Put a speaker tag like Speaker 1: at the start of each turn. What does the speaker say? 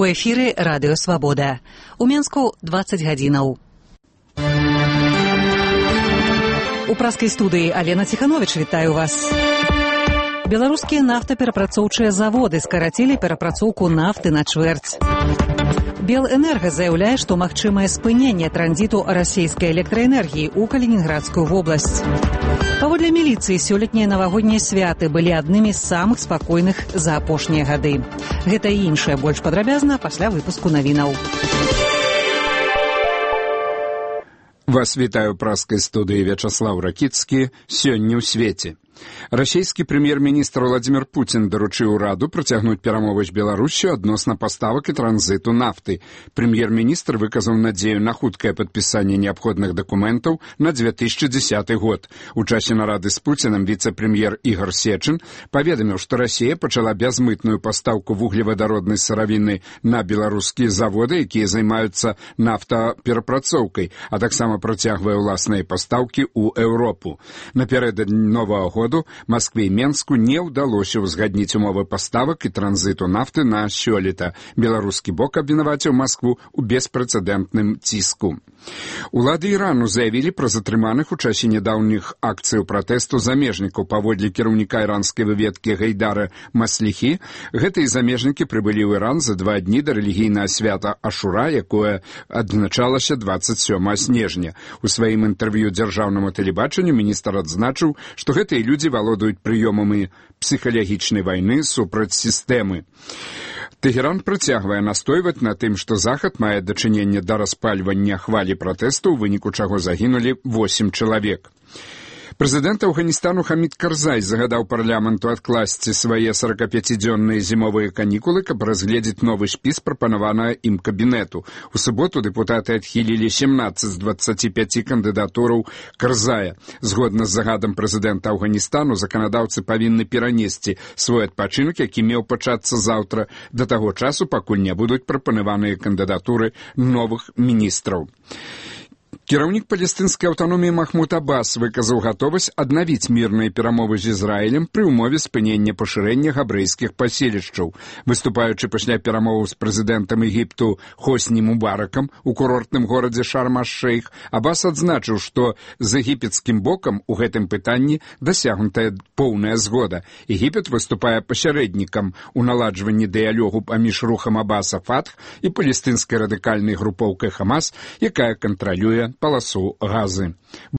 Speaker 1: У эфіры Радыё Свабода. У Менску 20 гадзінаў. У праскай студыі Алена Ціхановіч вітаю вас. Беларускія нафтаперапрацоўчыя заводы скарацілі перапрацоўку нафты на чвэрць. Белэнерга заяўляе, што магчымае спыненне транзіту расійскай электраэнергіі ў Калінінградскую вобласць. Паводле міліцыі, сёлетнія навагоднія святы былі аднымі з самых спакойных за апошнія гады. Гэта і іншае больш падрабязна пасля выпуску навінаў.
Speaker 2: Вас вітаю ў праскай студыі Вячаслав Ракіцкі. Сёння ў свеце. Расійскі прэм'ер-міністр Владзімір Пуцін даручыў ураду працягнуць перамовы з Беларуссю адносна паставак і транзіту нафты. Прэм'ер-міністр выказаў надзею на хуткае падпісанне неабходных дакументаў на 2010 год. У часе нарады з Пуцінам віцэ-прэм'ер Ігор Сечын паведаміў, што Расія пачала бязмытную пастаўку вуглевадароднай сыравіны на беларускія заводы, якія займаюцца нафтаперапрацоўкай, а таксама працягвае ўласныя пастаўкі ў Еўропу. Напярэдадні новага года Маскве і Менску не ўдалося ўзгадніць умовы паставак і транзіту нафты на сёлета. Беларускі бок абвінаваціў Маскву ў беспрэцэдэнтным ціску. Улады Ірану заявілі пра затрыманых у часе нядаўніх акцыяў пратэсту замежнікаў. Паводле кіраўніка іранскай выведкі Гайдара Масліхі, гэтыя замежнікі прыбылі ў Іран за 2 дні да рэлігійнага свята Ашура, якое адзначалася 27 снежня. У сваім інтэрв'ю дзяржаўнаму тэлебачанню міністр адзначыў, што гэтыя людзі валодаюць прыёмамі псіхалагічнай вайны супраць сістэмы. Тэгеран працягвае настойваць на тым, што Захад мае дачыненне да распальвання хвалі пратэсту, у выніку чаго загінулі 8 чалавек. Прэзідэнт Афганістану Хамід Карзай загадаў парламенту адкласці свае 45-дзённыя зімовыя канікулы, каб разгледзець новы спіс прапанаванага ім кабінету. У суботу дэпутаты адхілілі 17 з 25 кандыдатураў Карзая. Згодна з загадам прэзідэнта Афганістану, заканадаўцы павінны перанесці свой адпачынак, які меў пачацца заўтра, да таго часу, пакуль не будуць прапанаваныя кандыдатуры новых міністраў. Кіраўнік палестынскай аўтаноміі Махмуд Аббас выказаў гатовасць аднавіць мірныя перамовы з Ізраілем пры ўмове спынення пашырэння габрэйскіх паселішчаў. Выступаючы пасля перамоваў з прэзідэнтам Егіпту Хосні Мубаракам у курортным горадзе Шарм-аш-Шейх, Аббас адзначыў, што з егіпецкім бокам у гэтым пытанні дасягнутая поўная згода. Егіпет выступае пасярэднікам у наладжванні дыялогу паміж рухам Аббаса Фатх і палестынскай радыкальнай групоўкай Хамас, якая кантралюе паласу Газы.